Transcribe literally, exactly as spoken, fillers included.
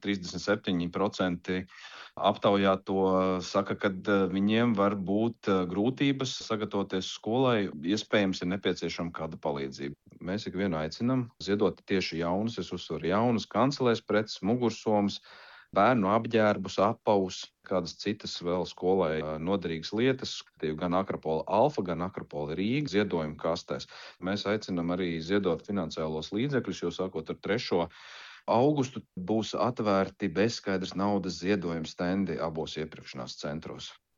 trīsdesmit septiņi procenti aptaujāto saka, ka viņiem var būt grūtības sagatavoties skolai, iespējams, ir nepieciešama kāda palīdzība. Mēs ikvienu aicinām ziedot tieši jaunus, es uzsveru jaunus kancelēs preces, mugursomas, bērnu apģērbus, apavus, kādas citas vēl skolai noderīgas lietas, gan Akropola Alfa, gan Akropola Rīga ziedojuma kastēs. Mēs aicinām arī ziedot finansiālos līdzekļus, jo sākot ar trešo augustu būs atvērti bezskaidras naudas ziedojuma stendi abos iepirkšanās centros.